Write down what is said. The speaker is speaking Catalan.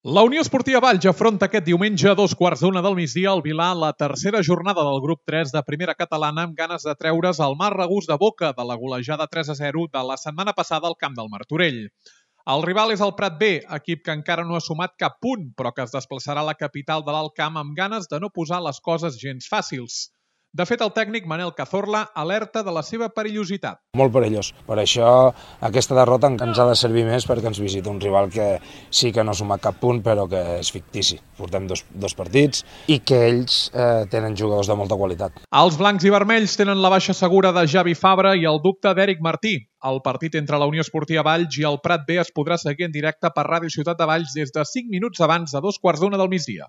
La Unió Esportiva Valls afronta aquest diumenge a 2:15 del migdia al Vilar la tercera jornada del grup 3 de primera catalana amb ganes de treure's el mal regust de boca de la golejada 3-0 de la setmana passada al camp del Martorell. El rival és el Prat B, equip que encara no ha sumat cap punt, però que es desplaçarà a la capital de l'Alt Camp amb ganes de no posar les coses gens fàcils. De fet, el tècnic Manel Cazorla alerta de la seva perillositat. Molt perillós. Per això aquesta derrota ens ha de servir més perquè ens visita un rival que sí que no ha sumat cap punt, però que és fictici. Portem dos partits i que ells tenen jugadors de molta qualitat. Els blancs i vermells tenen la baixa segura de Javi Fabra i el dubte d'Eric Martí. El partit entre la Unió Esportiva Valls i el Prat B es podrà seguir en directe per Ràdio Ciutat de Valls des de 5 minuts abans de 2:15 del migdia.